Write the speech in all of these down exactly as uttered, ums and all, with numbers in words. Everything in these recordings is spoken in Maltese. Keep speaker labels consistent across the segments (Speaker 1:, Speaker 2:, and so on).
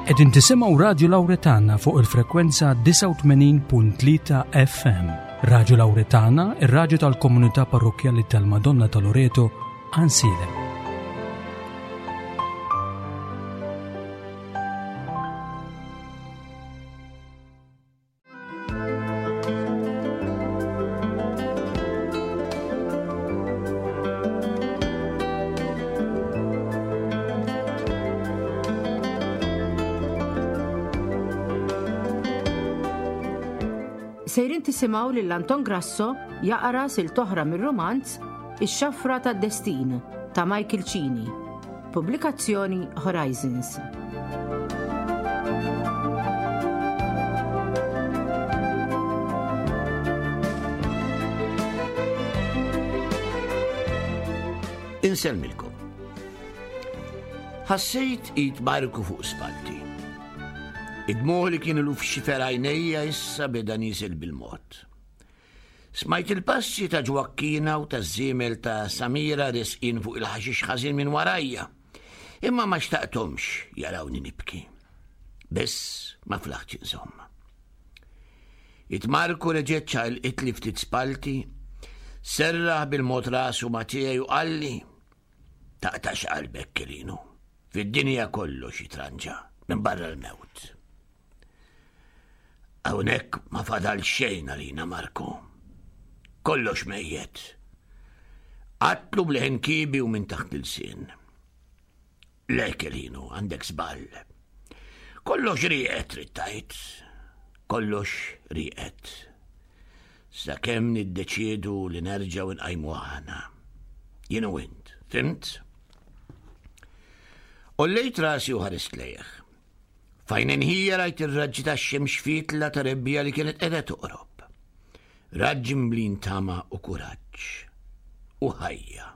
Speaker 1: Qegħdin tisimgħu Radju Lawretana fuq il-frekwenza disgħa u tmenin punt tlieta F M. Radju Lawretana, ir-radju tal-komunità parrokkjali tal-Madonna ta' Loreto, Għajnsielem.
Speaker 2: Sejrin tisimgħu lil Anton Grasso jaqra sil toħra mir-romanz Ix-Xafra tad-Destin ta' Michael Cini. Pubblikazzjoni Horizons.
Speaker 3: Insellmilkom. Ħassejt id Marku fuq spalti. Id-dmugħ li kienu l-ufxi għajnejja issa beda niżel bil-mod. Smajt il-passi ta' Ġwakkina u ta' żiemel ta' Samira resqin fuq il-ħaxix ħażin minn warajja, imma ma xtaqthomx jarawni nibki. Biss ma flaħtx inżomm. It-Marku reġgħet ċaqilqitli ftit spalti, serraħ bil-mod rasu ma' tiegħi u qalli, taqtax qalbek, Kelinu, fid-dinja kollox jitranġa minn barra l-mewt. Hawnhekk ma fadal xejn għalina, Marku. Kollox mejjet. Qatlu bl-ħin kibi u minn taħt il-sien. Le, Kelinu, għandek żball. Kollox rieqed, trid tgħid. Kollox rieqed. Sakemm niddeċiedu li nerġgħu nqajmu aħna. Jien u int, fimt? Ollejt rasi u ħarist lejh. Fajn inħija rajt ir-raġġi tax-xemx fitla ta' rebbija li kienet qiegħda toqrob. Raġġi mblin tama u kuraġġ u ħajja.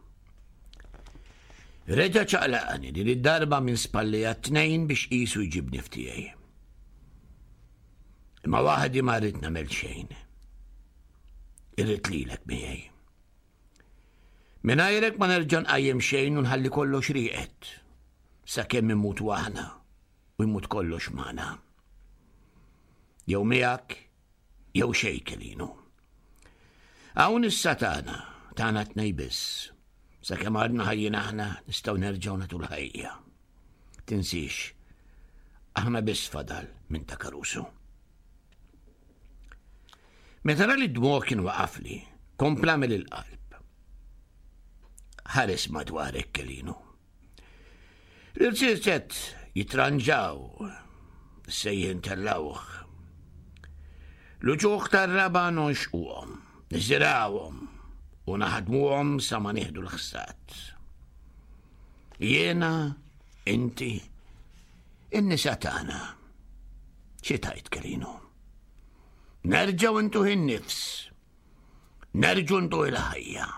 Speaker 3: Reġa' ċaqlaqni din id-darba minn spallija t-tnejn biex qisu jġibni f'tiegħi. Imma waħdi ma rrid nagħmel xejn. Irrid lilek miegħi. Mingħajrek ma nerġa' nqajjem xejn u nħalli kollox rieqed sakemm imut waħna u jmut kollox magħna. Jew miegħek, jew xejn, Kelinu. Hawn issa tagħna, tagħna tnej biss. Sakemm għadna ħajjin aħna nistgħu nerġgħu nagħtu l-ħajja. Tinsiex, aħna biss fadal minn ta' Caruso. Meta ra li d-dmugħ kien waqafli, kompla mill il-qalb. Ħares madwarek, Kelinu. L-irċiet jitranġaw, sejjen tellawh. L-uċuħ tar-raba nonxquhom, niżirawhom u naħdmuhom sa ma nieħdu l-ħsad. Jiena, inti, in-nisa tagħna. Xi tajt, Kelinu? Nerġgħu ntuh in-nifs, nerġgħu ntuh il-ħajja.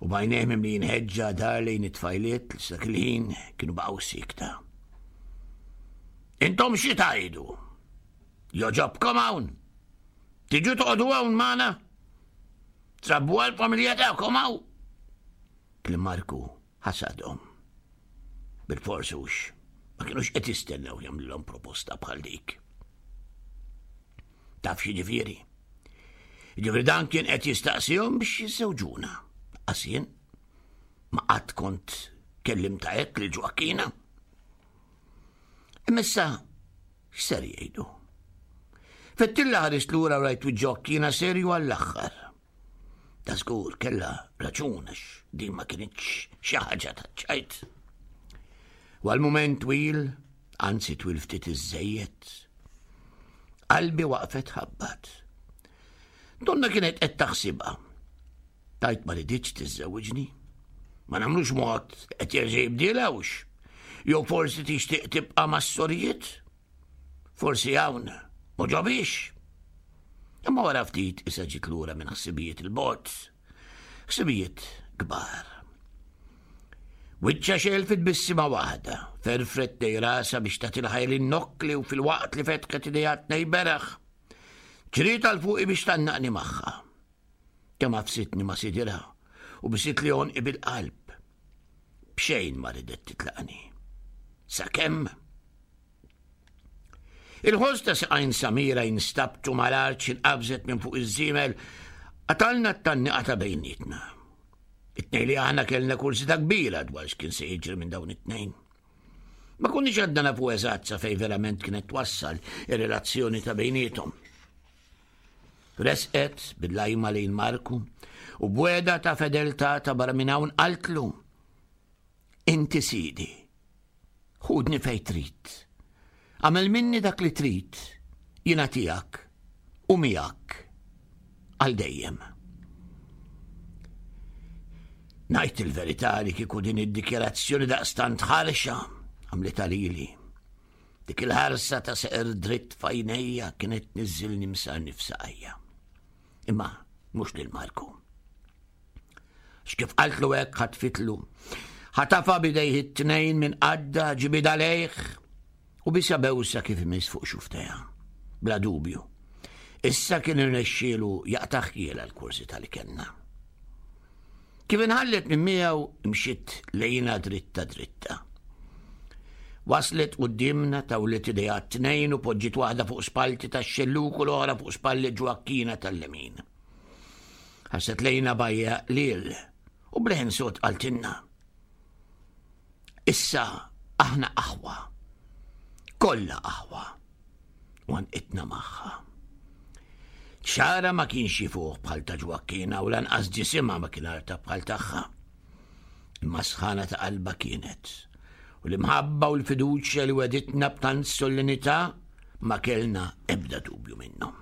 Speaker 3: U bajnejh mimli jinħeġġa dar lejn it-tfajliet li sak il-ħin kienu baqgħu sikta. Intom xi tgħidu? Joġobkom hawn? Tiġu toqgħodu hawn magħna? Trabbu għall-familja tagħkom hawn? Kliem Marku ħasadhom. Bil-fors hux, ma kinux qed jistennew jagħmlilhom proposta bħal dik. Taf xi ġifieri? Ġifieri dan kien qed jistaqsihom biex jiżżewġuna. Qasien, ma qatt kont kellimta hekk lil Ġwakkina. Imma issa x'ser jgħidu? Fettilla ħarist lura u rajt Ġwakkina serju għall-aħħar. Ta' żgur kellha raġun għax din ma kinitx xi ħaġa ta' ċajt. U għal mument twil, anzi twil ftit iżżejjed, qalbi waqfet ħabbat. Donna kienet qed taħsibha. Tajt ma riditx tiżżewġni. Ma nagħmlux mod qed jerġa' jibdilhawx. Jew forsi tixtieq tibqa' mas-sorijiet? Forsi hawn ma ġobix. Imma wara ftit issa ġiet lura minn ħsibijiet il-bogħod. Ħsibijiet kbar. Wiċċa xelfit bissima waħda, ferfret dej rasa biex tagħti l-ħajja lin-nokkli u fil-waqt li fetħet idejha tnej beraħ. Ġriet għal fuqi biex tannaqni magħha. Kemm għafsitni ma' sidirha u bisit li għonqi bil-qalb. B'xejn ma ridet titlaqni. Sakemm il-ħoss ta' saqajn Samira jinstabtu mal-art x'inqabżet minn fuq iż-żiemel qatalna t-tgħanniqa ta' bejnietna. It-tnejn li aħna kellna kurżità kbira dwar x'kien se jiġri minn dawn it-tnejn. Ma konniex għadna nafu eżatt sa fejn verament kienet twassal ir-relazzjoni ta' bejniethom. Resqet bil-lajma lejn Marku u b'wegħda ta' fedeltà ta' barra minn hawn qaltlu: "Inti sidi, ħudni fejn trid. Għamel minni dak li trid, jiena tiegħek u miegħek għal dejjem." Ngħid il-verità li kieku din id-dikjarazzjoni daqstant ħarxa għamlitha lili. Dik il-ħarsa ta' seqer dritt f'għajnejja kienet tniżżilni msarni f'saqajja. Imma mhux lil Marku. X'kif qaltlu hekk ħatfitlu. Ħatafa b'idejh it-tnejn minn qadda, ġibidha lejh u bisa bewsa kif imiss fuq xufftejha. Bla dubju. Issa kien irnexxielu jaqta' ħjiela l-kurżità li kellna. Kif inħallet minn miegħu imxiet lejna dritta dritta. Waslet qudiemna, tawlet idejha t-tnejn u poġġiet waħda fuq spallti tax-xelluk u l-oħra fuq spalli Ġwakkina tal-lemin. Ħarset lejna b'għajja qliel u b'leħen sod qaltilna: "Issa aħna aħwa, kollha aħwa." U għannqitna magħha. Xagħarha ma kienx jifuħ bħal ta' Ġwakkina u lanqas ġisimha ma kien artab bħal tagħha. Imma sħana ta' qalba kienet. U l-imħabba u l-fiduċja li weditna b'tant solennità ma kellna ebda dubju minnhom.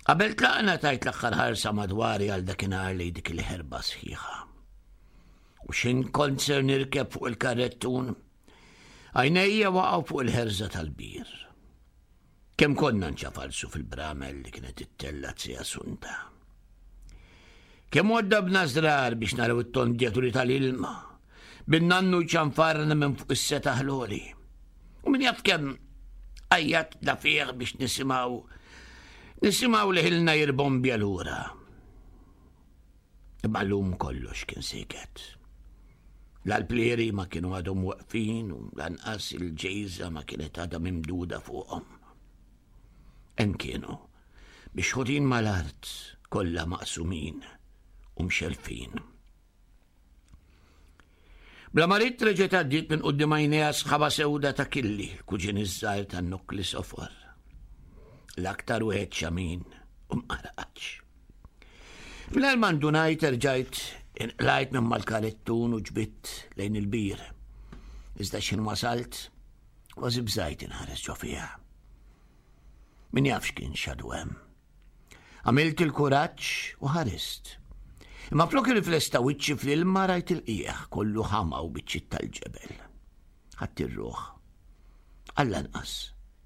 Speaker 3: Qabel tlaqna tajt l-aħħar ħarsa madwari għal dakinhar li dik il-ħerba sħiħa. U x'ħin kont ser nirkeb fuq il-karrettun, għajnejja waqgħu fuq il-ħerża tal-bir. Kemm konna nċafalsu fil-bramel li kienet ittella zija Sunta. Kemm waddabna żrar biex naraw it-tondjaturi tal-ilma, bin-nannu ċanfarna minn fuq is-setaħ l-għoli. U min jaf kemm għajjatna fih biex nisimgħu nisimgħu li ħilna jirbombja lura. Imma llum kollox kien siket. L-alplieri ma kienu għadhom waqfin u lanqas il-ġejża ma kienet għadha mimduda fuqhom. Hemm kienu, bixħutin mal-art, kollha maqsumin u mxelfin. Bla ma ridt reġgħet għaddiet minn quddiem għajnejha sħaba sewda ta' Killi, l-kuġin iż-żgħir tan-nokkli sofor. L-aktar wieħed xamin u mqarqaċ. Mingħajr ma ndunajt erġajt inqlajt minn mal-karettun u ġbidt lejn il-bir. Iżda x'ħin wasalt, kważi bżajt inħares ġo fiha. Min jaf x'kien xadu hemm. Għamilt il-kuraġġ u ħarist. Imma flok irriflesta wiċċi fl-ilma rajt il-qiegħ kollu ħama u biċċiet tal-ġebel. Ħadd ir-ruħ. Għall-anqas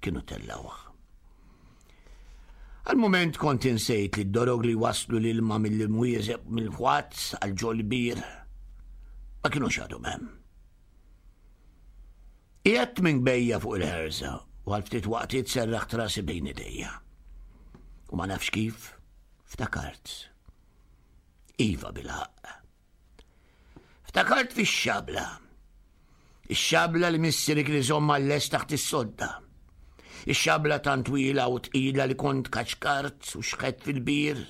Speaker 3: kienu tellawh. Għal-moment kont insejt li d-dorog li waslu l-ilma mill-imwieżeb mill-ħwazz għal ġol bir ma kienux għadhom hemm. Qiegħedt minn bejja fuq il-ħerża u għal ftit waqtiet serraħt rasi bejn idejja. U ma nafx kif ftakart. Iva bil-ħaqq. Ftakart fix-xabla. Ix-xabla li missieri kien iżomm għal-lest taħt is-sodda. Ix-xabla tant twila u tqila li kont kaċkart u xħet fil-bir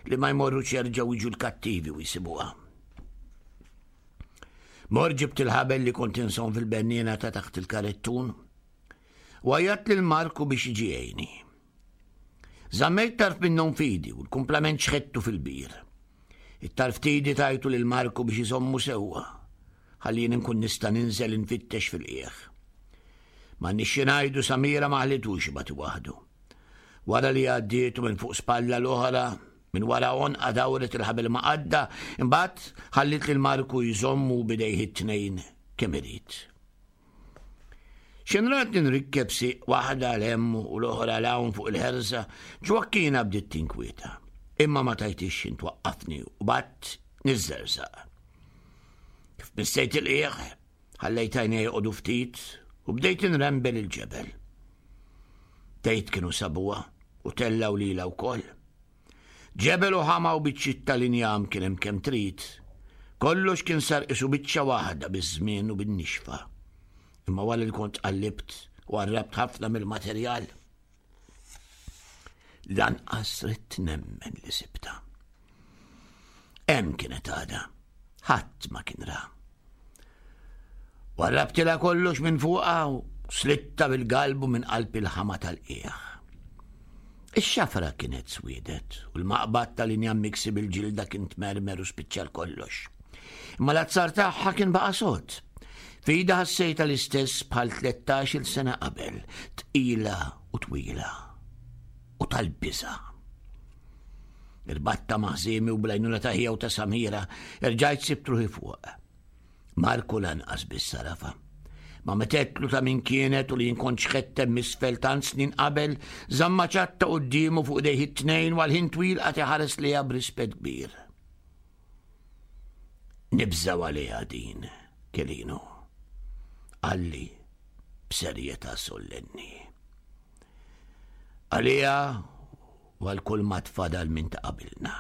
Speaker 3: li ma jmorrux jerġgħu jiġu l-kattivi u jsibuha. Mor ġibt il-ħabel li kont insom fil-benniena ta' taħt il-karettun u għajjat lil Marku biex jiġi jgħinni. Żammejt tarf minnhom f'idi u l-kumplament xħettu fil-bir. It-tarf t'idi tajtu lil Marku biex iżommu sewwa, ħalli jien inkun nista' ninżel infittex fil-qiegħ. Ma nixxi ngħidu Samira ma ħallitux ibati waħdu. Wara li għaddietu minn fuq spalla l-oħra, minn wara għonqa dawret il-ħabel ma' qadda, imbagħad ħallit lil Marku jżommu b'idejh it-tnejn kemm irid. X'inrat nrikkeb sieq waħda 'l hemm u l-oħra 'l hawn fuq il-ħerża, Ġwakkina bdiet tinkwieta. Imma ma tajtix x'in twaqqafni u bat niżżerżaq. Kif missejt il-qiegħ, ħallejt għajnejja joqogħdu ftit u bdejt inrembel il-ġebel. Tgħid kienu sabuha u tellgħu lilha wkoll. Ġebel u ħama u biċċiet tal-injam kien hemm kemm trid, Kollox kien sar qisu biċċa waħda biż-żmien u bin-nixfa. Imma wara li kont qallibt u warrabt ħafna mill-materjal, lanqas ridt nemmen li sibta. Hemm kienet għadha, ħadd ma kien ra. Warrabtilha kollox minn fuqha u slitta bil-galbu minn qalb il-ħama tal-qiegħ. Ix-xafra kienet swiedet u l-maqbad tal-injam miksi bil-ġilda kien tmermer u spiċċa kollox. Imma l-azzar tagħha kien baqa' sod. F'idha ħassejtha l-istess bħal tlettax-il sena qabel, tqila u twila u tal-biża'. Irbatta ma' ħżiemi u bl-għajnuna ta' ħija u ta' Samira, erġajt sibt ruħi fuq. Marku lanqas biss sarafa. Ma metetlu ta' min kienet u li jinkont xħettem misfel tant snin qabel, żamma ċatta quddiemu fuq idejh it-tnejn u għal ħin twil qagħad iħares lejha b'rispett kbir. Nibżgħu għaliha din, Kelinu, qalli b'serjetà sollenni. Għaliha u għal kull ma tfadal minn ta' qabilna.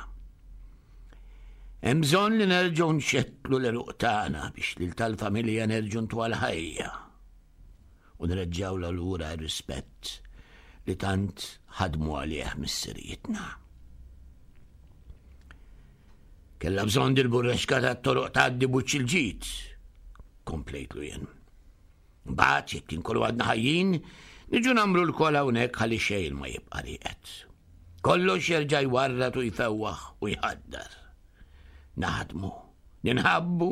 Speaker 3: Hemm bżonn li nerġgħu nxettlu l-għeruq tagħna biex lil tal-familja nerġgħu ntuha l-ħajja u nreġġgħu lura r-rispett li tant ħadmu għalih missirijietna. Kellha bżonn dil-burrexka tat-toroq tgħaddi b'wiċċ il-ġid, komplejtlu jien. Mbagħad jekk inkunu għadna ħajjin, niġu nagħmlu lkoll hawnhekk ħalli xejn ma jibqa' rieqed. Kollox jerġa' jwarrad u jfewwaħ u jħaddar. Naħdmu, ninħabbu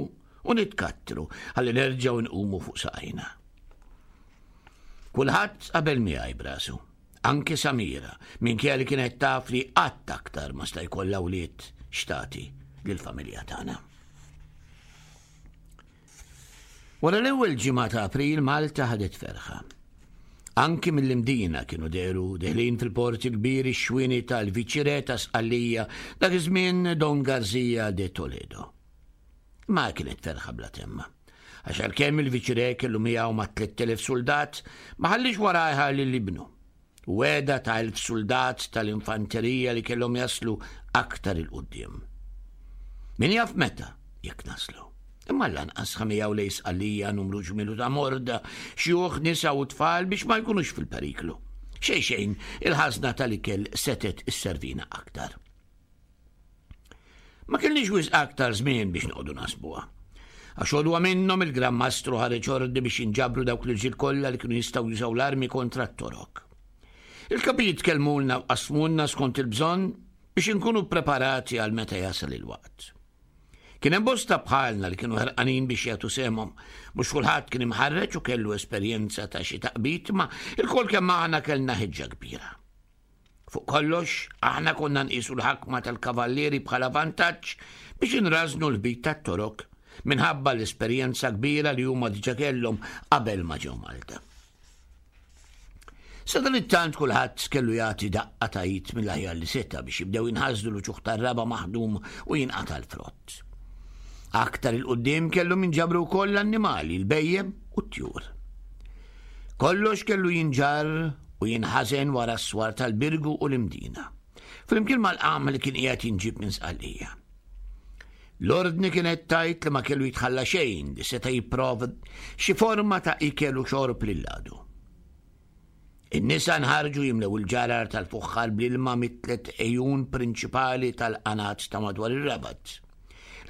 Speaker 3: u nitkattru ħalli nerġgħu nqumu fuq saqajna. Kulħadd qabel miegħi brasu, anki Samira, minkejja li kienet taf li qatt aktar ma sta jkollha wlied xtati lill-familja tagħna. Wara l-ewwel ġimgħa ta' April Malta ħadet ferħa. Anki mill-Imdina kienu dehru deħlin fil-port il-kbir ix-xwieni tal-Viċirè ta' Sqallija dak iż-żmien Don Garzia de Toledo. Ma kienet ferħa bla temma. Għax għalkemm il-Viċirè kellu miegħu ma' tliet elef soldat, ma ħallix warajha lil ibnu. Weda ta' elf soldat tal-infanterija li kellhom jaslu aktar il-quddiem. Min jaf meta jekk naslu. Imma lanqas ħamijaw lejn Sqallija numru ġmielu ta' morda, xjuħ, nisa u tfal biex ma jkunux fil-periklu. Xejn xejn, il-ħażna tal-ikel setet isservina aktar. Ma kellniex wisq aktar żmien biex noqogħdu nasbuha. Għax għodwa minnhom il-Gran Mastru ħareġ ordi biex jinġabru dawk l-irġiel kollha li kienu jistgħu jużaw l-armi kontra t-torok. Il-kapijiet kellmulna u qasmulna skont il-bżonn biex inkunu preparati għal meta jasal il-waqt. Kien hemm bosta bħalna li kienu ħerqanin biex jagħtu sehemhom. Mhux kulħadd kien imħarreġ u kellu esperjenza ta' xi taqbid, ma il-kol kemm aħna kellna ħeġġa kbira. Fuq kollox, aħna konna nqisu l-ħakma tal-kavallieri bħala vantaġġ biex inrażnu l-bit tat-torok minħabba l-esperjenza kbira li huma diġà kellhom qabel ma ġew Malta. Sadanittant kulħadd kellu jagħti daqqa ta' id mill-aħjar li seta' biex jibdew jinħasdu l-uċuħ tar-raba maħdum u jinqata' l-frott. Aktar il-qudiem kellu minġabru wkoll l-annimali, il-bejjem u t-tjur. Kollox kellu jinġarr u jinħażen wara s-swar tal-Birgu u l-Imdina, flimkien mal-qam li kien qiegħed jinġib minn Sqallija. L-ordni kienet tajt li ma kellu jitħalla xejn li seta' jipprova xi forma ta' ikel u xorb lil-għadu. In-nisa nħarġu jimlew il-ġarar tal-fuħħar bl-ilma mit-tliet ejjun prinċipali tal-qanat ta' madwar ir-Rabat.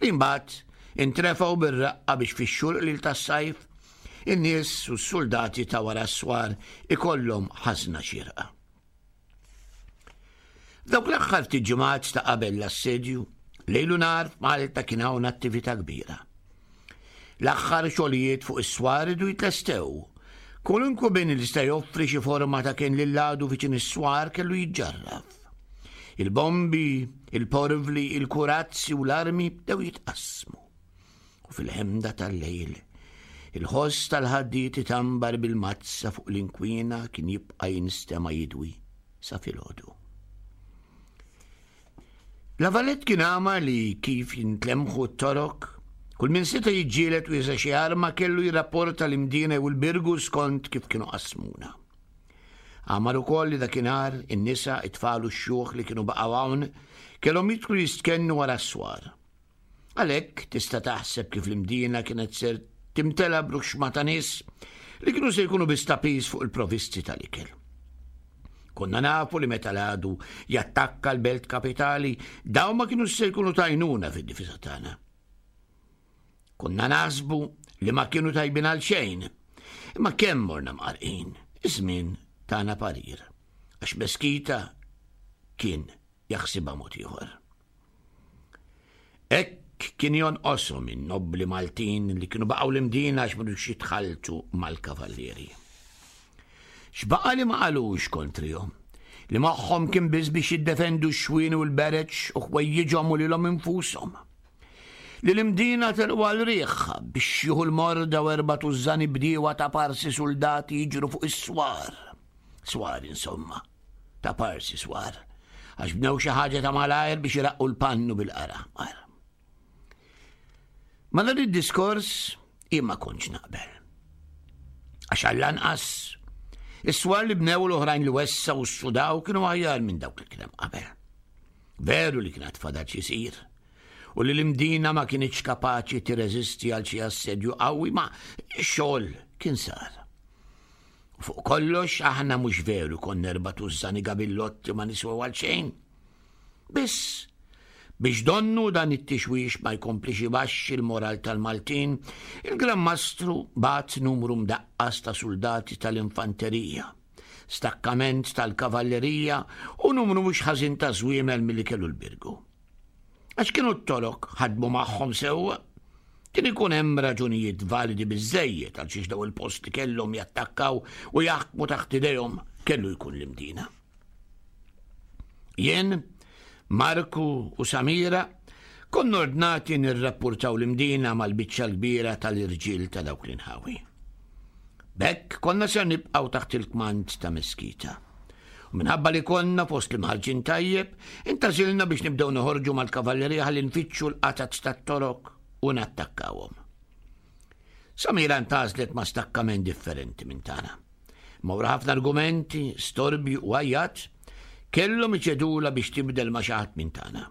Speaker 3: Li mbagħad intrefgħu bir-raqqa biex fix-xhur qlil tas-sajf in-nies u s-soldati ta' wara s-swar ikollhom ħażna xierqa. F'dawk l-aħħar ftit ġimgħat ta' qabel l-assedju, lejl u nhar f'Malta kien hawn attività kbira. L-aħħar xogħlijiet fuq is-swar idu jitlestew. Kwalunkwe bini li sta joffri xi forma ta' kien lil-għadu viċin is-swar kellu jiġġarraf. Il-bombi, il-porvli, il-kurazzi u l-armi bdew jitqassmu. U fil-ħemda tal-lejl, il-ħoss tal-ħaddiet itambar bil-mazza fuq l-inkwina kien jibqa' jinstema' jidwi sa filgħodu. La Valette kien għama li kif jintlemħu t-torok, kull min seta' jiġġieled u juża xi arma kellu jirrapporta l-Imdina u l-Birgu skont kif kienu qasmuna. Għamar ukoll li dakinhar in-nisa, it-tfal u x-xjuħ li kienu baqgħu hawn kellhom jidħlu jistkennu wara s-swar. Għalhekk tista' taħseb kif l-Imdina kienet ser timtela b'ruxxma ta' nies li kienu se jkunu biss ta' piż fuq il-provisti tal-ikel. Konna nafu li meta l-għadu jattakka l-belt kapitali, dawn ma kienu se jkunu t'għajnuna fid-difiża tagħna. Konna naħsbu li ma kienu tajbin għal xejn, imma kemm morna mqarrqin, iż-żmien tana parir, għax Meskita kien jaħsibha mod ieħor. Hekk kien jonqoshom in-nobbli Maltin li kienu baqgħu l-Imdina għax m'ridux jitħalltu mal-kavallieri. X'baqa' li ma qalux kontrihom, li moħħhom kien biss biex jiddefendu x-xwien u l-bereġ u ħwejjiġhom u lilhom infushom. Li l-Imdina telqu għal riħha biex jieħu l-morda u erba' tużżani bdiewa ta' parsi suldati jiġru fuq is-swar. Swar insomma, ta' parsi swar, għax bnew xi ħaġa ta' malajr biex iraqqu l-pannu bil-qara aħmar. Ma dan id-diskors jien ma kontx naqbel. Għax għall-anqas is-swar li bnew l-oħrajn li wessgħu u ssudaw kienu aħjar minn dawk li kien hemm qabel. Veru li kien fadal xi jsir u li l-Imdina ma kienx kapaċi tirreżisti għal xi assedju qawwi, ma x-xogħol kien sar. U fuq kollox aħna mhux veru konna erba' tużżani gabillotti ma niswew għal xejn. Biss biex donnu dan it-tixwix ma jkomplix ibaxxi l-moral tal-Maltin, il-Gran Mastru bagħat numru mdaqqas ta' suldati tal-infanterija, stakkament tal-kavallerija u numru mhux ħażin ta' żwiemel milli kellu l-Birgu. Għax kienu t-Torok ħadmu magħhom sewwa, kien ikun hemm raġunijiet validi biżżejjed għal xiex daw il-post li kellhom jattakkaw u jaħkmu taħt idejhom kellu jkun l-Imdina. Jien, Marku u Samira konna ordnati nirrapportaw l-Imdina mal-biċċa l-kbira tal-irġiel ta' dawk l-inħawi. B'hekk konna ser nibqgħu taħt il-kmand ta' Meskita. U minħabba li konna fost l-imħarġin tajjeb, intgħażilna biex nibdew noħorġu mal-kavallerija ħalli nfittxu l-qatgħat tat-Torok u nattakkawhom. Samira ntgħażlet ma' stakkament differenti minn tagħna. Ma wara ħafna argumenti, storbju u għajjat, kellhom iċedula biex tibdel ma' xi ħadd minn tagħna.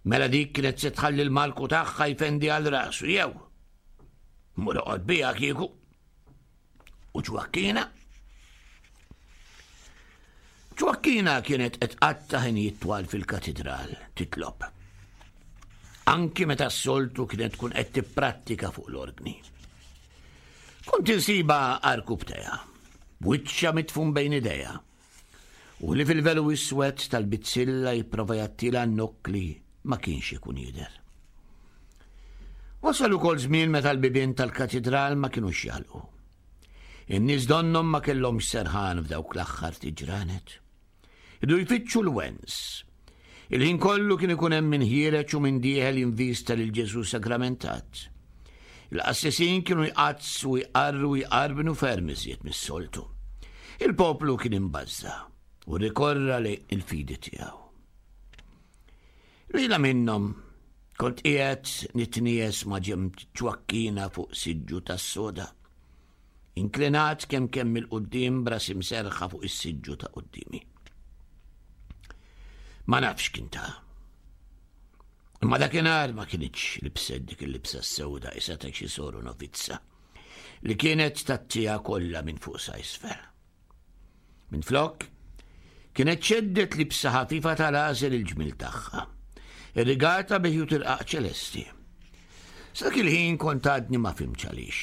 Speaker 3: Mela dik kienet se tħalli l-malku tagħha jfendi għal rasu jew. Mur oqgħod biha kieku. U Ġwakkina? Ġwakkina kienet qed tqatta' ħinijiet twal fil-katidral titlob. Anki meta s-soltu kienet tkun qed tipprattika fuq l-orgni. Kont insiba għarkupptejha, b'wiċċha mitfun bejn idejha, u li fil-velu iswed tal-bizzilla jipprova jgħattila n-nokkli ma kienx ikun jidher. Wasal ukoll żmien meta l-bibien tal-katidral ma kinux jagħlqu. In-nies donnhom ma kellhomx serħan f'dawk l-aħħar tiġranet. Idu jfittxu l-wens. Il-ħin kollu kien ikun hemm min ħiereġ u min dieħel jinvista lil Ġesù sagramentat. Il-qassisin kienu jqaddsu, jqarru, jqarbnu ferm iżjed mis-soltu. Il-poplu kien imbażża u rikorra lejn il-fidi tiegħu. Lejla minnhom kont qiegħed nitnies ma' ġenb Ġwakkina fuq siġġu tas-soda. Inklinat kemm kemm il-qudiem b'rasi mserrħa fuq is-siġġu ta' quddiemi. Ma nafx kien ta'. Imma dakinhar ma kinitx libset dik il-libsa s-sewda isa ta' xi soru novizza li kienet tgħattiha kollha minn fuq sa isfel. Minflok, kienet xeddet libsa ħafifa tal-għażel il-ġmil tagħha, irrigata bi ħjut irqaq ċelesti. Sa dak il-ħin kont għadni ma fhimtx għaliex.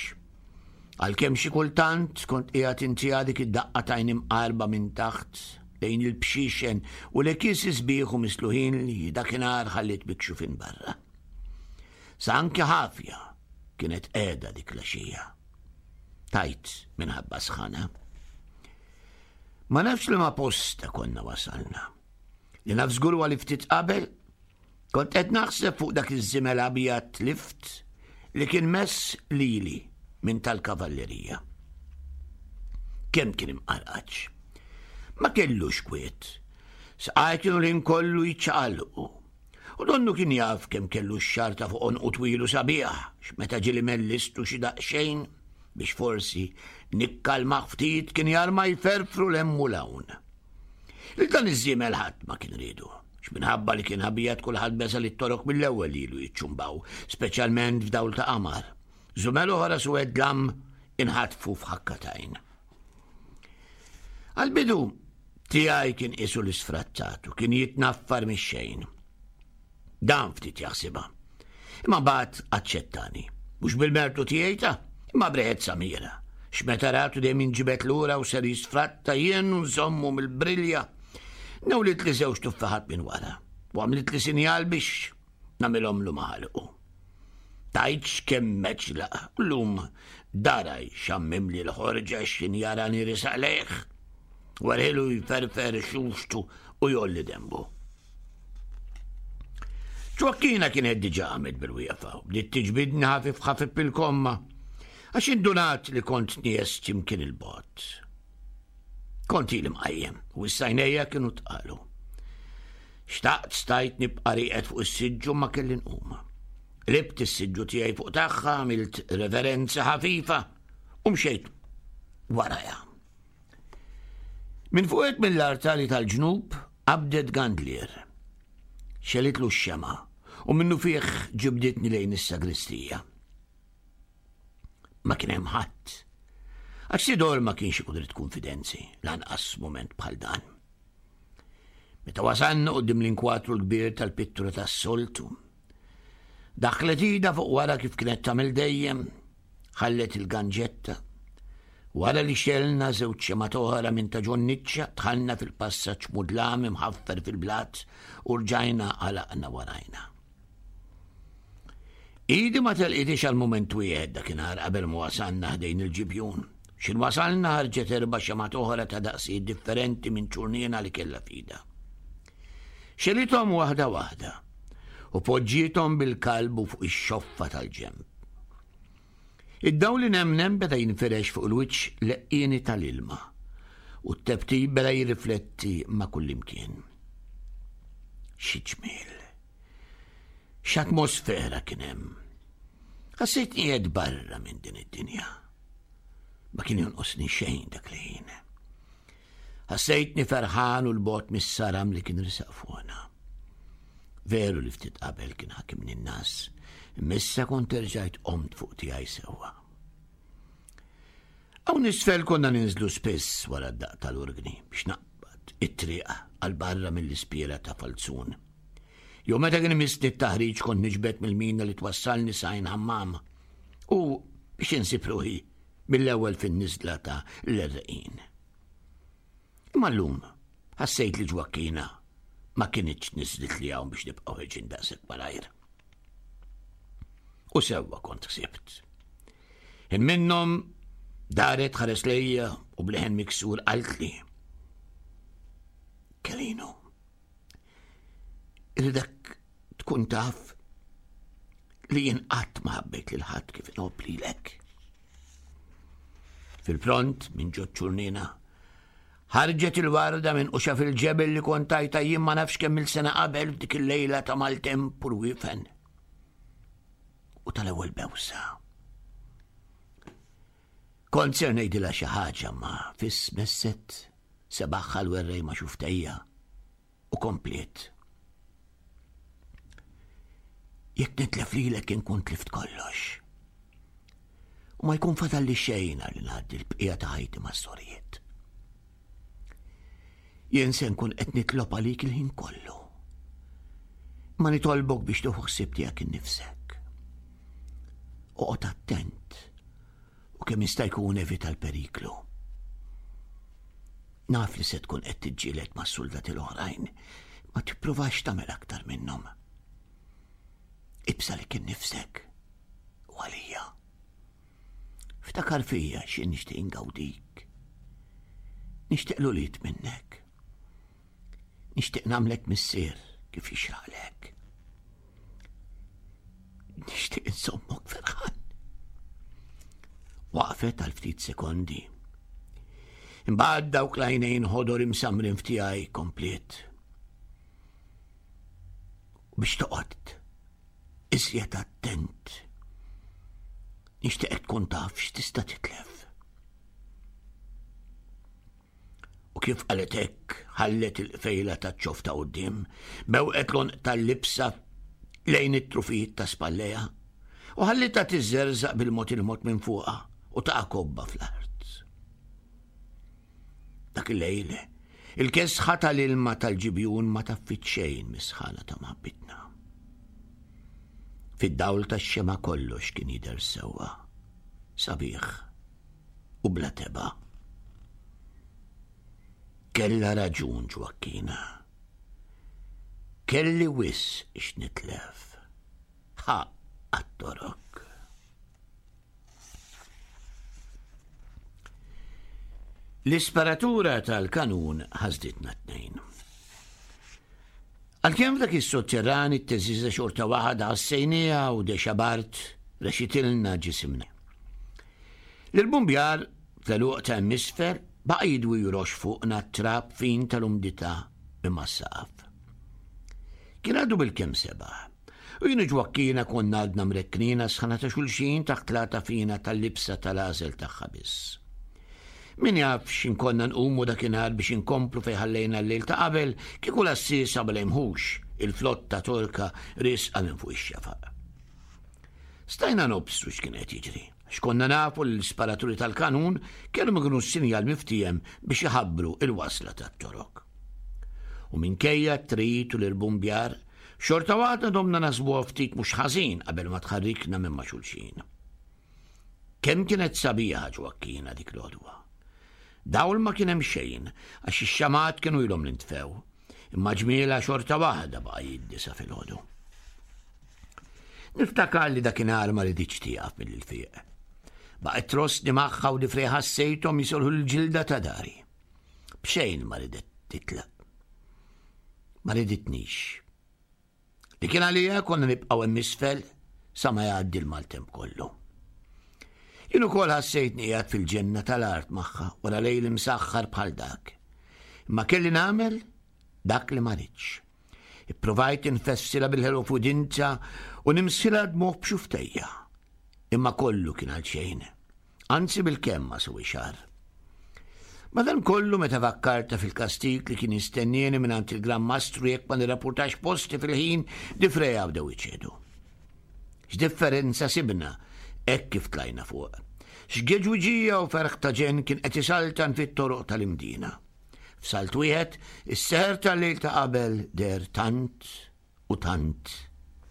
Speaker 3: Għalkemm xi kultant kont qiegħed intiha dik id-daqqa t'għajn imqarba minn taħt lejn il-bxixen u l-ekisi sbieħ u misluħin li dakinhar ħalliet mikxufin barra. Sa anki ħafja kienet qiegħda dik l-għaxija. Tajt minħabba sħana. Ma nafx li ma posta konna wasalna. Li naf żgur huwa li ftit qabel kont qed naħseb fuq dak iż-żimel abjad lift li kien mess lili minn tal-kavallerija. Kemm kien imqarqaċ. Ma kellux kwiet. Saqaj kienu l-ħin kollu jiċċaqalqu. U donnu kien jaf kemm kellu x-xarta fuq għonqu twilu sabiħ, x'meta ġieli mellistu xi daqsxejn biex forsi nikkalma ftit kien jarma jferfru 'l hemm u 'l hawn. Lil dan iż-żiemel ħadd ma kien ridu, X'minħabba li kien abjad kulħadd beża li t-torok mill-ewwel ilu jiċċumbaw, speċjalment f'dawl ta' qamar. Żumel oħra suwed dlam inħatfu f'ħakka t'għajn. Għal-bidu tiegħi kien qisu l-isfrattat u kien jitnaffar mix-xejn. Dan ftit jaħsibha. Imma mbagħad aċċettani. Mhux bil-mertu tiegħi ta' imma b'riħet Samira. X'meta ratu dejjem inġibet lura u ser jisfratta jien u nżommu mill-brilja. Newlit li żewġ tuffaħat minn wara u għamlit li sinjal biex nagħmilhomlu maħalqu. Tajtx kemm meċlaq, llum daraj xammim li l-ħorġa xin jarani risaq lejh. Warħilu jferfer xuxtu u jolli dembu. Ġwakkina kienet diġa għamet bil-wieqfa u bdiet tiġbidni ħafif ħafif bil-komma għax indunat li kont nies imkien il-bot. Kont ili mqajjem u s-sajnejja kienu tqalu. Xtaqt stajt nibqa' rieqed fuq is-siġġu ma kelli nqum. Qlibt is-siġġu tiegħi fuq tagħha, għamilt reverenza ħafifa u mxejt warajha. Minn fuq mill-artali tal-ġnub qabdet gandlier. Xelitlu x-xema u minnu fih ġibditni lejn is-sagristija. Ma kien hemm ħadd. Għax Sidor ma kienx ikun irid konfidenzi, lanqas mument bħal dan. Meta wasalna quddiem l-inkwatru l-kbir tal-pittura tas-soltu, daħlet idha fuq wara kif kienet tagħmel dejjem, ħallet il-ganġetta. Wara li xelna żewġ xemgħat oħra minn ta' ġonniċċa, dħalna fil-passaġġ mudlam imħaffer fil-blat u rġajna għalaqna warajna. Idi ma telqitix għal mument wieħed dakinhar qabel ma wasalna ħdejn il-ġibjun. X'in wasalna ħarġet erba' xemgħat oħra ta' daqsijiet differenti minn ċurnina li kellha f'idha. Xelithom waħda waħda u poġġiethom bil-kalbu fuq ix-xoffa tal-ġenb. Id-dawl li nemnem beda jinfirex fuq il-wiċċ leqqieni tal-ilma u t-tebtib beda jirrifletti ma' kullimkien. Xi ġmiel! X'atmosfera kien hemm! Ħassejtni qiegħed barra minn din id-dinja. Ma kien jonqosni xejn dak li ħin. Ħassejtni ferħan u l-bot mis-saram li kien risaq fuqna. Veru li ftit qabel kien ħakimni n-nas, imma kont erġajt qomt fuq tiegħi sewwa. Hawn isfel konna ninżlu spiss wara d-daq tal-orgni biex naqbad it-triq għal barra mill-ispiera ta' Falzun. Jew meta kien imissni t-taħriġ kont niġbed mill-mina li twassalni sajn ħammam u biex insib ruħi mill-ewwel fin-niżla ta' l-erreqin. Imma llum ħassejt li Ġwakkina ma kinitx niżlit li hawn biex nibqgħu ħeġin daqshekk malajr. U sewwa kont ħsibt. In minnhom daret ħares lejja u bleħen miksur qaltli. Kelinu, irridek tkun taf li jien qatt ma ħabbejt lil ħadd kif inħobb lilek. Fil-pront minn ġo ċurnina ħarġet il-warda minn quxa fil-ġebel li kont tajta jien ma nafx kemm il-sena qabel f'dik il-lejla ta' maltemp u rwifen. U tal-ewwel bewsa. Kont ser ngħidilha xi ħaġa ma fis messet sebaħħa l-werrej ma xuftejja u kompliet. Jekk nitlef lilek inkun tlift kollox. U ma jkun fatalli xejn li ngħaddi l-bqija ta' ħajti mas-sorijiet. Jien se nkun qed nitlob għalik il-ħin kollu. Ma nitolbok biex tieħu ħsieb tiegħek innifsek. Oqgħod attent u kemm jista' jkun evita l-periklu. Naf li se tkun qed tiġġieled mas-soldati l-oħrajn, ma tippruvax tagħmel aktar minnhom. Ibsa li kien nifsek u għalija. Ftakar fija xi nixtieq ingawdik. Nixtieq l-ulied minnek. Nixtieq nagħmlek missier kif jixraqlek. Nixtieq insommok ferħan. Waqfet għal ftit sekondi. Imbagħad dawk l-għajnejn ħodor imsamrin f'tiegħi kompliet. Biex toqgħod iżjed attent. Nixtieqek tkun taf x'tista' titlef. U kif qalet hekk, ħallet il-qfejla taċ-ċoff ta' quddiem, bewqet l-għonq tal-libsa lejn it-trufijiet ta' spallejha, u ħallitha tiżżerżaq bil-mod il-mod minn fuqha u taqa' kobba fl-art. Dak il-lejl, il-kesħa tal-ilma tal-ġibjun ma taffit xejn mis-sħana ta' mħabbitna. Fid-dawl tax-xemgħa kollox kien jidher sewwa, sabiħ u bla tebgħa. Kellha raġun Ġwakkina. Kelli wisq x'nitlef. Ħaqq għat-Torok. L-isparatura tal-kanun ħasditna t-tnejn. Għalkemm f'dak is-sotterran it-teżiża xorta waħda ħassejniha u dexa bart rexitilna ġisimna. L-bumbjar fl-għeluq ta' hemm isfel baqa' jidwi jroxx fuqna t-trab fin tal-umdità minn mas-saqaf. Kien għadu bil-kemm sebaħ, u jien u Ġwakkina konna għadna mrekknina sħana ta' xulxin taħt l-għata fina tal-libsa tal-għażel tagħha biss. Min jaf x'in konna nqumu dakinhar biex inkomplu fejn ħallejna l-lejl ta' qabel kieku l-għassiesa ma lejmħux il-flotta Torka riesqa minn fuq ix-xefaq. Stajna nobsru x'kien qed jiġri, għax konna nafu li l-isparaturi tal-kanun kellhom ikunu s-sinjal miftiehem biex iħabbru il-wasla tat-Torok. U minkejja t-trid u l-irbumbjar, xorta waħda domna nasbuha ftit mhux ħażin qabel ma tħarrikna minn ma' xulxin. Kemm kienet sabiħa Ġwakkina dik l-għodwa. Dawl ma kien hemm xejn għax ix-xamat kienu ilhom li ntfew, imma ġmiela xorta waħda baqa' jiddi sa filgħodu. Niftakar li dakinhar ma riditx tieqaf mill-ilfieq. Baqgħet trossni magħha u difrej ħassejthom jisolħu l-ġilda ta' dari. B'xejn ma ridet titlaq. Ma riditnix. Li kien għalija konna nibqgħu hemm isfel sa ma jgħaddi l-maltemp kollu. Jien ukoll ħassejtni qiegħed fil-ġenna tal-art magħha wara lejl imsaħħar bħal dak. Imma kelli nagħmel dak li ma ridx. Ippruvajt infessilha bil-ħelu f'udinza u nimsilha dmugħ b'xuftejja. Imma kollu kien għal xejn. Anzi bil-kemm ma sewi xahar. Madankollu meta fakkarta fil-kastig li kien jistennieni mingħand il-Gran Mastru jekk ma nirrapportax posti fil-ħin, difreja bdew iċedu. X'differenza sibna hekk kif tlajna fuq. X'geġwiġija u ferħ ta' ġenn kien qed isaltan fit-toroq tal-Imdina. F'salt wieħed, is-seħer tal-lejl ta' qabel deher tant u tant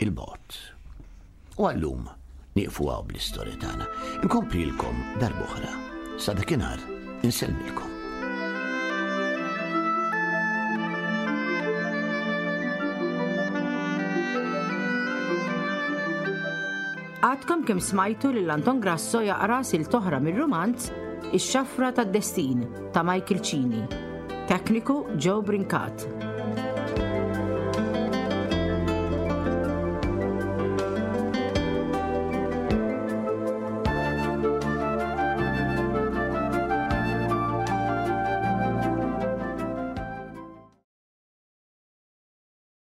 Speaker 3: il-bogħod. U għallum nieqfu hawn bl-istorja tagħna. Inkomplilkom darb'oħra. Sa dakinhar insellmilkom.
Speaker 2: Għadkom kemm smajtu lil Anton Grasso jaqra silt oħra mir-rumanz Ix-Xafra tad-Destin ta' Michael Cini. Tekniku Joe Brincat.